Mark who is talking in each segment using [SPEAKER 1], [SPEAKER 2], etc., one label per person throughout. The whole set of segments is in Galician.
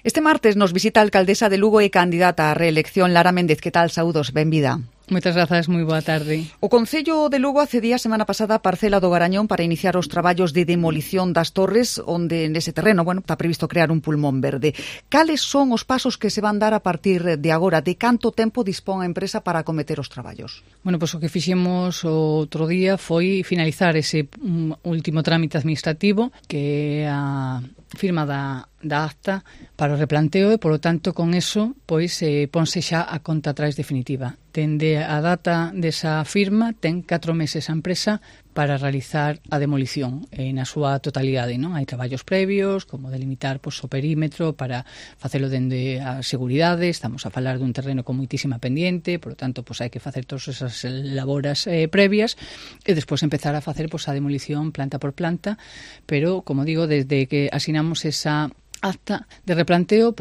[SPEAKER 1] Este martes nos visita a alcaldesa de Lugo e candidata á reelección, Lara Méndez. Que tal? Saúdos, benvida.
[SPEAKER 2] Moitas grazas, moi boa tarde.
[SPEAKER 1] O Concello de Lugo accedía a semana pasada a parcela do Garañón para iniciar os traballos de demolición das torres, onde nese terreno, está previsto crear un pulmón verde. Cales son os pasos que se van dar a partir de agora? De canto tempo dispón a empresa para acometer os traballos?
[SPEAKER 2] Pois o que fixemos outro día foi finalizar ese último trámite administrativo, que é a firma da acta para o replanteo e, polo tanto, con eso, ponse xa a conta atrás definitiva. Dende a data desa firma, ten 4 meses a empresa para realizar a demolición na súa totalidade, non? Hai traballos previos, como delimitar o perímetro para facelo dende a seguridade. Estamos a falar dun terreno con moitísima pendiente, por lo tanto, hai que facer todas esas laboras previas e despois empezar a facer a demolición planta por planta, pero, como digo, desde que asinamos esa acta de replanteo,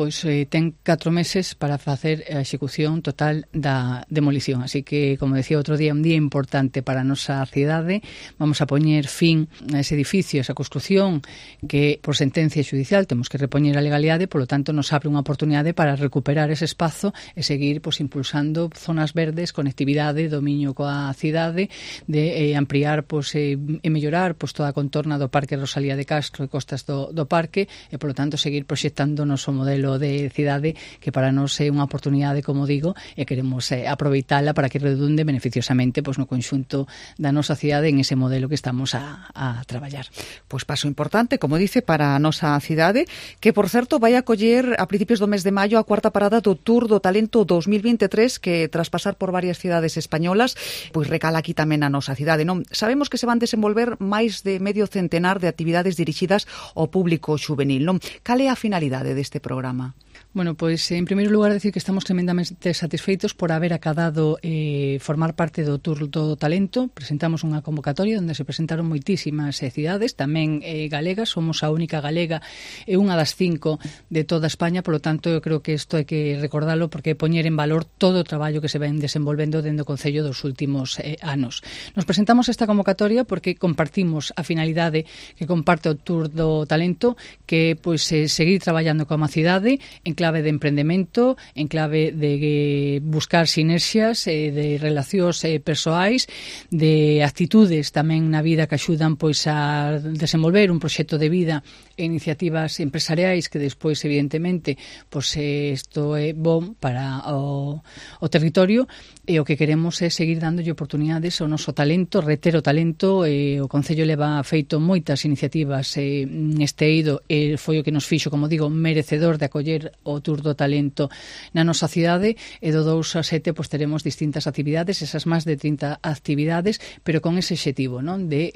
[SPEAKER 2] ten 4 meses para facer a execución total da demolición. Así que, como decía outro día, un día importante para a nosa cidade. Vamos a poñer fin a ese edificio, a esa construción que, por sentencia judicial, temos que repoñer a legalidade, polo tanto, nos abre unha oportunidade para recuperar ese espazo e seguir impulsando zonas verdes, conectividade, dominio coa cidade, de ampliar e mellorar toda a contorna do Parque Rosalía de Castro e costas do parque e, polo tanto, seguir proxectando o noso modelo de cidade, que para nós é unha oportunidade, como digo, e queremos aproveitala para que redunde beneficiosamente no conxunto da nosa cidade en ese modelo que estamos a traballar.
[SPEAKER 1] Paso importante, como dice, para a nosa cidade, que, por certo, vai acoller a principios do mes de maio a cuarta parada do Tour do Talento 2023, que, tras pasar por varias cidades españolas, recala aquí tamén a nosa cidade, non? Sabemos que se van desenvolver máis de medio centenar de actividades dirixidas ao público xuvenil, non? Cal é a finalidade deste programa?
[SPEAKER 2] En primeiro lugar, decir que estamos tremendamente satisfeitos por haber acadado formar parte do Tour do Talento. Presentamos unha convocatoria onde se presentaron moitísimas cidades, tamén galegas. Somos a única galega e unha das 5 de toda España, polo tanto, eu creo que isto hai que recordalo, porque poñer en valor todo o traballo que se ven desenvolvendo dentro do Concello dos últimos anos. Nos presentamos esta convocatoria porque compartimos a finalidade que comparte o Tour do Talento, que seguir traballando como a cidade en clave de emprendemento, en clave de buscar sinerxias, de relacións persoais, de actitudes tamén na vida que axudan a desenvolver un proxecto de vida e iniciativas empresariais que despois, evidentemente, isto é bom para o territorio, e o que queremos é seguir dándolle oportunidades ao noso talento, reter o talento. O Concello leva feito moitas iniciativas neste eido, e foi o que nos fixo, como digo, merecedor de acoller o Tour do Talento na nosa cidade, e do 2 a 7 teremos distintas actividades, esas máis de 30 actividades, pero con ese objetivo, non? De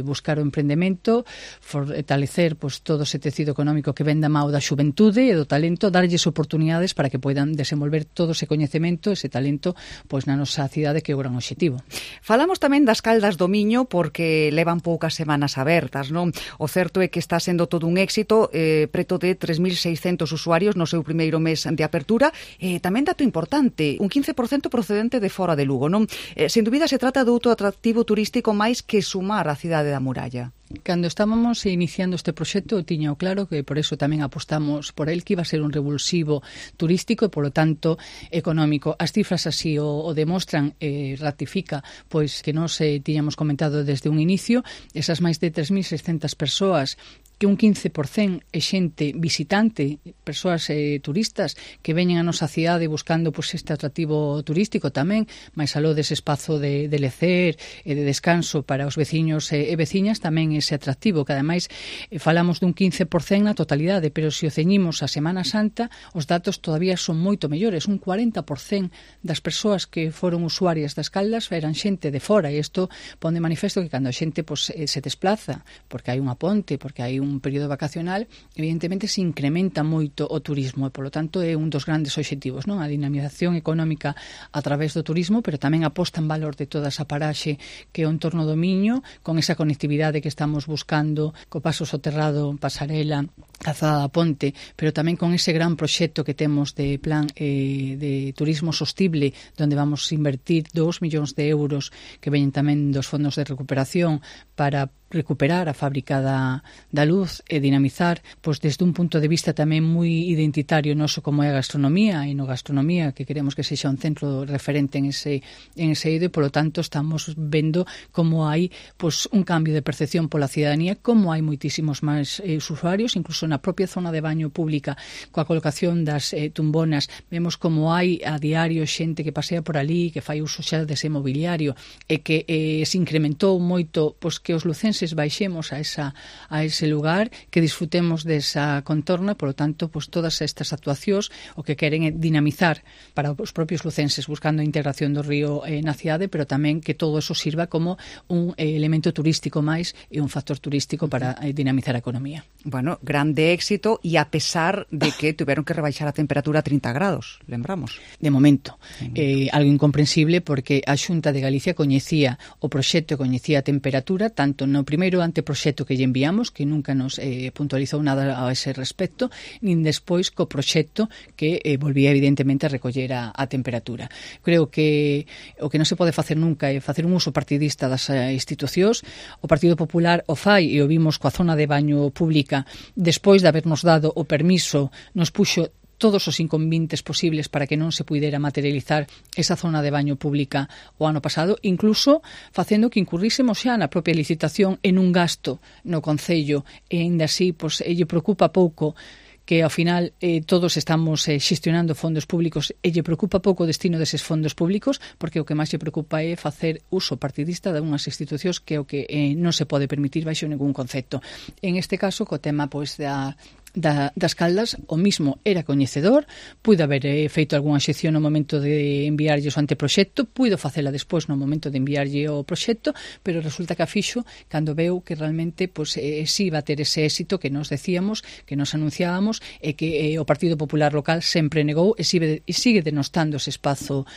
[SPEAKER 2] buscar o emprendemento, fortalecer todo ese tecido económico que ven da mão da xuventude e do talento, darlles oportunidades para que poidan desenvolver todo ese coñecemento, ese talento, na nosa cidade, que é o gran objetivo.
[SPEAKER 1] Falamos tamén das Caldas do Miño, porque levan poucas semanas abertas, non? O certo é que está sendo todo un éxito, preto de 3.600 usuarios no seu primeiro mes de apertura. Tamén dato importante, un 15% procedente de fora de Lugo, non? Sen dúbida se trata de outro atractivo turístico máis que sumar a cidade da muralla.
[SPEAKER 2] Cando estábamos iniciando este proxecto, tiña claro que por eso tamén apostamos por el, que iba a ser un revulsivo turístico e, polo tanto, económico. As cifras así o demostran, ratifica que nos tiñamos comentado desde un inicio, esas máis de 3.600 persoas, que un 15% é xente visitante, persoas turistas que veñen a nosa cidade buscando este atractivo turístico tamén, máis aló dese espazo de lecer e de descanso para os veciños e veciñas, tamén ese atractivo, que ademais falamos dun 15% na totalidade, pero se o ceñimos a Semana Santa, os datos todavía son moito mellores. Un 40% das persoas que foron usuarias das Caldas eran xente de fora, e isto pon de manifesto que cando a xente se desplaza, porque hai unha ponte, porque hai un período vacacional, evidentemente se incrementa moito o turismo, e polo tanto é un dos grandes obxectivos, non? A dinamización económica a través do turismo, pero tamén a posta en valor de toda esa paraxe que é o entorno do Miño, con esa conectividade que estamos buscando, co paso soterrado, pasarela, calzada da ponte, pero tamén con ese gran proxecto que temos de plan de turismo sostible, donde vamos a invertir 2 millóns de euros que veñen tamén dos fondos de recuperación para recuperar a fábrica da luz e dinamizar, pois desde un punto de vista tamén moi identitario noso como é a gastronomía, e no gastronomía que queremos que sexa un centro referente en ese eido, e polo tanto estamos vendo como hai pois un cambio de percepción pola cidadanía, como hai moitísimos máis usuarios, incluso na propia zona de baño pública, coa colocación das tumbonas, vemos como hai a diario xente que pasea por ali, que fai uso xa dese mobiliario, e que se incrementou moito pois que os lucenses baixemos a ese lugar, que disfrutemos desa contorna. Por lo tanto, pues todas estas actuacións o que queren é dinamizar para os propios lucenses, buscando a integración do río na cidade, pero tamén que todo eso sirva como un elemento turístico máis e un factor turístico para dinamizar a economía.
[SPEAKER 1] Bueno, grande éxito, e a pesar de que tiveron que rebaixar a temperatura a 30 grados, lembramos.
[SPEAKER 2] De momento, algo incomprensible, porque a Xunta de Galicia coñecía o proxecto e coñecía a temperatura, tanto no primeiro anteproxecto que lle enviamos, que nunca nos puntualizou nada a ese respecto, nin despois co proxecto que volvía evidentemente a recoller a temperatura. Creo que o que non se pode facer nunca é facer un uso partidista das institucións. O Partido Popular o fai, e o vimos coa zona de baño pública, despois de habernos dado o permiso, nos puxo todos os inconvenientes posibles para que non se puidera materializar esa zona de baño pública o ano pasado, incluso facendo que incurrísemos xa na propia licitación en un gasto no Concello, e ainda así pois, lle preocupa pouco que ao final todos estamos xestionando fondos públicos, e lle preocupa pouco o destino deses fondos públicos, porque o que máis lle preocupa é facer uso partidista de unhas institucións, que é o que non se pode permitir baixo ningún concepto. En este caso, co tema pois das Caldas, o mismo era coñecedor, puido haber feito algunha excepción no momento de enviarlle o anteproxecto, puido facela despois no momento de enviarlle o proxecto, pero resulta que a fixo cando veu que realmente pois, si iba a ter ese éxito que nos decíamos, que nos anunciábamos, e que o Partido Popular local sempre negou, e sigue denostando ese espazo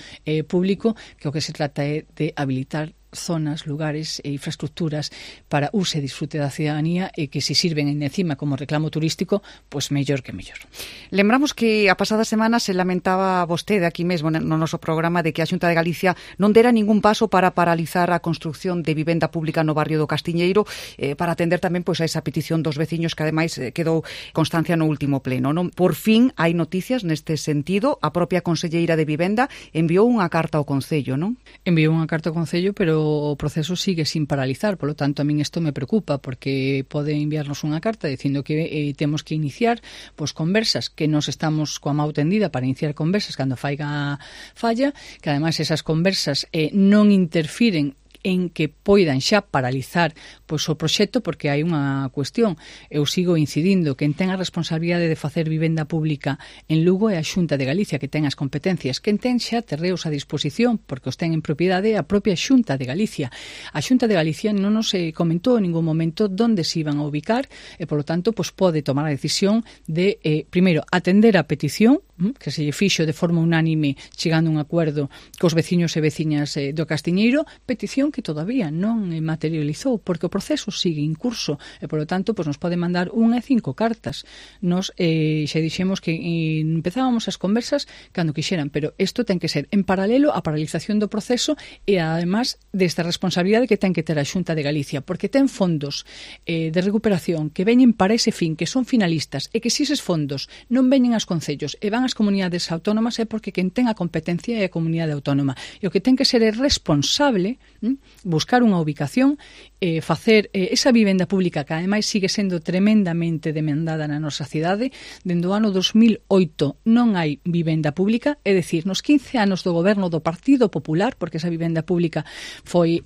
[SPEAKER 2] público, que o que se trata é de habilitar zonas, lugares e infraestructuras para uso e disfrute da cidadanía, e que se sirven encima como reclamo turístico, pois mellor que mellor.
[SPEAKER 1] Lembramos que a pasada semana se lamentaba vostede aquí mesmo no noso programa de que a Xunta de Galicia non dera ningún paso para paralizar a construción de vivenda pública no barrio do Castiñeiro, para atender tamén pois a esa petición dos veciños, que ademais quedou constancia no último pleno, non? Por fin hai noticias neste sentido. A propia conselleira de Vivenda enviou unha carta ao Concello, non?
[SPEAKER 2] Enviou unha carta ao Concello, pero o proceso sigue sin paralizar, polo tanto a min isto me preocupa, porque pode enviarnos unha carta dicindo que temos que iniciar pois conversas, que nos estamos coa mau tendida para iniciar conversas cando falla, que ademais esas conversas non interfiren en que poidan xa paralizar pois o proxecto, porque hai unha cuestión. Eu sigo incidindo que ten a responsabilidade de facer vivenda pública en Lugo é a Xunta de Galicia, que ten as competencias, que ten xa terreos a disposición, porque os ten en propiedade a propia Xunta de Galicia. A Xunta de Galicia non nos comentou en ningún momento onde se iban a ubicar, e polo tanto pois pode tomar a decisión de primeiro atender a petición que se lle fixo de forma unánime, chegando a un acordo cos veciños e veciñas do Castiñeiro, petición que todavía non materializou, porque o proceso sigue en curso, e polo tanto pois nos pode mandar 1 e 5 cartas. Nos xa dixemos que empezábamos as conversas cando quixeran, pero isto ten que ser en paralelo á paralización do proceso, e además desta responsabilidade que ten que ter a Xunta de Galicia, porque ten fondos de recuperación que veñen para ese fin, que son finalistas, e que se eses fondos non veñen aos concellos e van as comunidades autónomas, é porque quen ten a competencia é a comunidade autónoma, e o que ten que ser é responsable buscar unha ubicación, facer esa vivenda pública, que ademais sigue sendo tremendamente demandada na nosa cidade. Dende o ano 2008 non hai vivenda pública, é dicir, nos 15 anos do goberno do Partido Popular, porque esa vivenda pública foi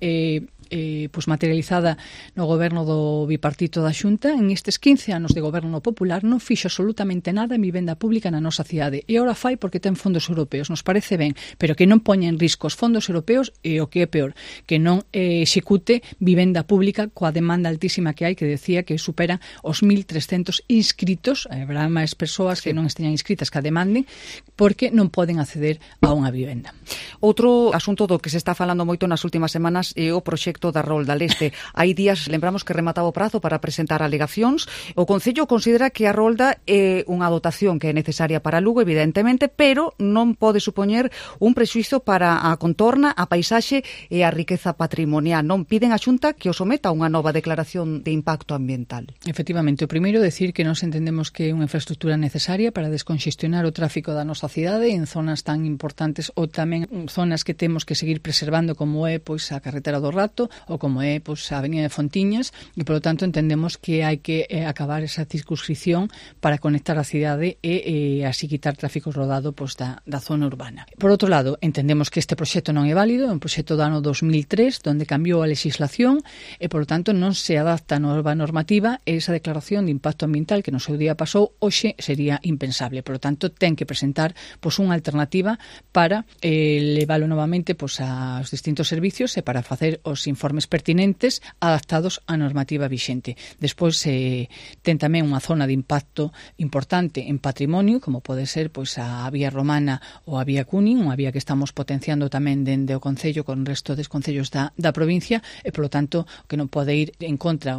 [SPEAKER 2] pois materializada no goberno do bipartito da Xunta, en estes 15 anos de goberno popular non fixo absolutamente nada en vivenda pública na nosa cidade, e ora fai porque ten fondos europeos, nos parece ben, pero que non poña en risco os fondos europeos, e o que é peor, que non execute vivenda pública coa demanda altísima que hai, que decía que superan os 1.300 inscritos, habrá máis persoas que non esteñan inscritas que a demanden, porque non poden acceder a unha vivenda.
[SPEAKER 1] Outro asunto do que se está falando moito nas últimas semanas é o proxecto proxecto da Rolda Leste. Hai días, lembramos que remataba o prazo para presentar alegacións. O Concello considera que a Rolda é unha dotación que é necesaria para Lugo, evidentemente, pero non pode supoñer un prexuízo para a contorna, a paisaxe e a riqueza patrimonial. Non piden a Xunta que o someta a unha nova declaración de impacto ambiental.
[SPEAKER 2] Efectivamente, o primeiro decir que nós entendemos que é unha infraestructura necesaria para desconxestionar o tráfico da nosa cidade en zonas tan importantes ou tamén zonas que temos que seguir preservando, como é pois a carretera do Rato ou como é pois a avenida de Fontiñas, e polo tanto entendemos que hai que acabar esa circunscripción para conectar a cidade e así quitar tráfico rodado pois da zona urbana. Por outro lado, entendemos que este proxecto non é válido, é un proxecto do ano 2003 onde cambiou a legislación e polo tanto non se adapta a nova normativa e esa declaración de impacto ambiental que no seu día pasou hoxe sería impensable. Por lo tanto, ten que presentar pois unha alternativa para leválo novamente pois aos distintos servicios e para facer os informes pertinentes adaptados á normativa vixente. Despois ten tamén unha zona de impacto importante en patrimonio, como pode ser pois a vía romana ou a vía Cunin, unha vía que estamos potenciando tamén dende o Concello con o resto dos concellos da provincia e, polo tanto, que non pode ir en contra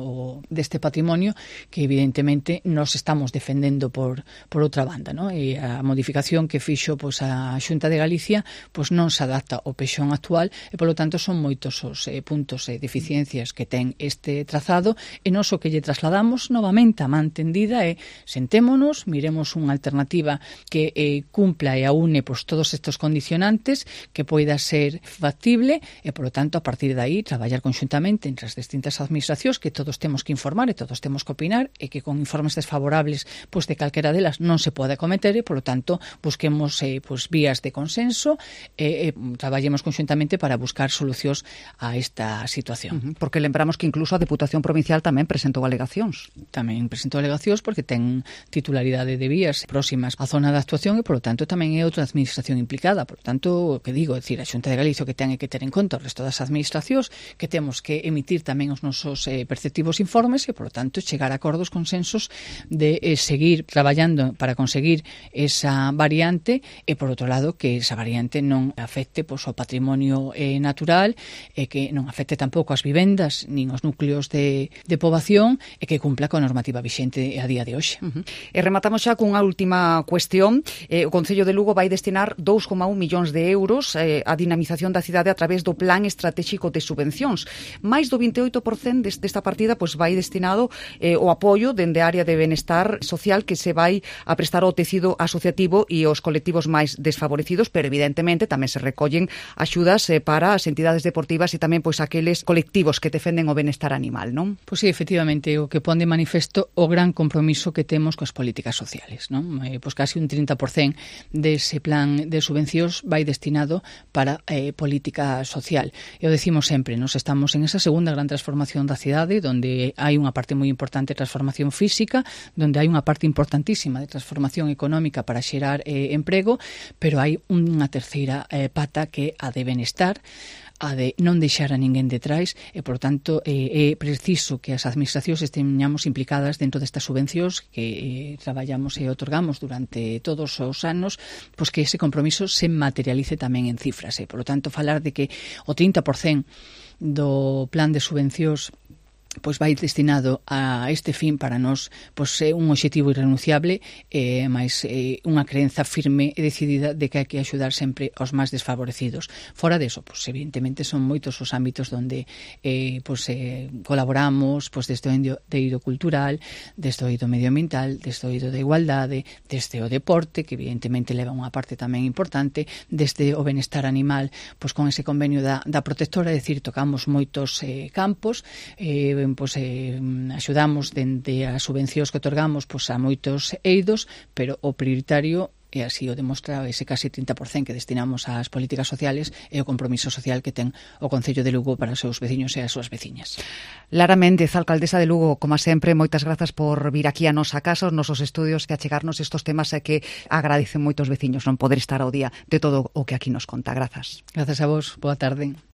[SPEAKER 2] deste patrimonio que evidentemente nos estamos defendendo por outra banda, ¿no? E a modificación que fixo pois a Xunta de Galicia pois non se adapta ao pexón actual e, polo tanto, son moitos os puntos e deficiencias que ten este trazado e nós o que lle trasladamos novamente a man tendida é sentémonos, miremos unha alternativa que cumpla e aúne pois todos estes condicionantes, que poida ser factible e, polo tanto, a partir de aí traballar conxuntamente entre as distintas administracións que todos temos que informar e todos temos que opinar e que con informes desfavorables pois de calquera delas non se pode acometer e, polo tanto, busquemos pois vías de consenso e traballemos conxuntamente para buscar solucións a esta situación.
[SPEAKER 1] Porque lembramos que incluso a Deputación Provincial tamén presentou alegacións.
[SPEAKER 2] Tamén presentou alegacións porque ten titularidade de vías próximas á zona de actuación e, polo tanto, tamén é outra administración implicada. Por tanto, o que digo, é dicir, a Xunta de Galicia que ten que ter en conta o resto das administracións, que temos que emitir tamén os nosos perceptivos informes e, polo tanto, chegar a acordos, consensos de seguir traballando para conseguir esa variante e, por outro lado, que esa variante non afecte pois, ao patrimonio natural e que non afecte tampouco as vivendas nin os núcleos de poboación e que cumpla coa normativa vixente a día de hoxe.
[SPEAKER 1] E rematamos xa cunha última cuestión. O Concello de Lugo vai destinar 2,1 millóns de euros á dinamización da cidade a través do Plan Estratégico de Subvencións. Mais do 28% desta partida pois vai destinado ao apoio dende a área de benestar social que se vai a prestar ao tecido asociativo e aos colectivos máis desfavorecidos, pero evidentemente tamén se recollen axudas para as entidades deportivas e tamén pois aqueles colectivos que defenden o benestar animal, non?
[SPEAKER 2] Pois sí, efectivamente, o que pon de manifesto o gran compromiso que temos coas políticas sociales, non? Pois casi un 30% dese plan de subvencións vai destinado para política social. E o decimos sempre, nos estamos en esa segunda gran transformación da cidade, donde hai unha parte moi importante de transformación física, donde hai unha parte importantísima de transformación económica para xerar emprego, pero hai unha terceira pata que a de benestar, a de non deixar a ninguén detrás e, por tanto, é preciso que as administracións esteñamos implicadas dentro destas subvencións que traballamos e otorgamos durante todos os anos, pois que ese compromiso se materialice tamén en cifras. Por lo tanto, falar de que o 30% do plan de subvencións pois vai destinado a este fin para nós pois é un obxectivo irrenunciable máis unha creenza firme e decidida de que hai que axudar sempre aos máis desfavorecidos. Fora deso, pois evidentemente son moitos os ámbitos onde colaboramos pois desde o eido cultural, desde o eido medioambiental, desde o eido de igualdade, desde o deporte, que evidentemente leva unha parte tamén importante, desde o benestar animal, pois con ese convenio da protectora, é dicir, tocamos moitos campos, axudamos dende as subvencións que otorgamos a moitos eidos, pero o prioritario e así o demostra ese casi 30% que destinamos ás políticas sociales e o compromiso social que ten o Concello de Lugo para os seus veciños e as súas veciñas.
[SPEAKER 1] Lara Méndez, alcaldesa de Lugo, como sempre, moitas grazas por vir aquí a nosa casa, aos nosos estudios, que achegarnos estos temas e que agradecen moitos veciños non poder estar ao día de todo o que aquí nos conta. Grazas.
[SPEAKER 2] Grazas a vos, boa tarde.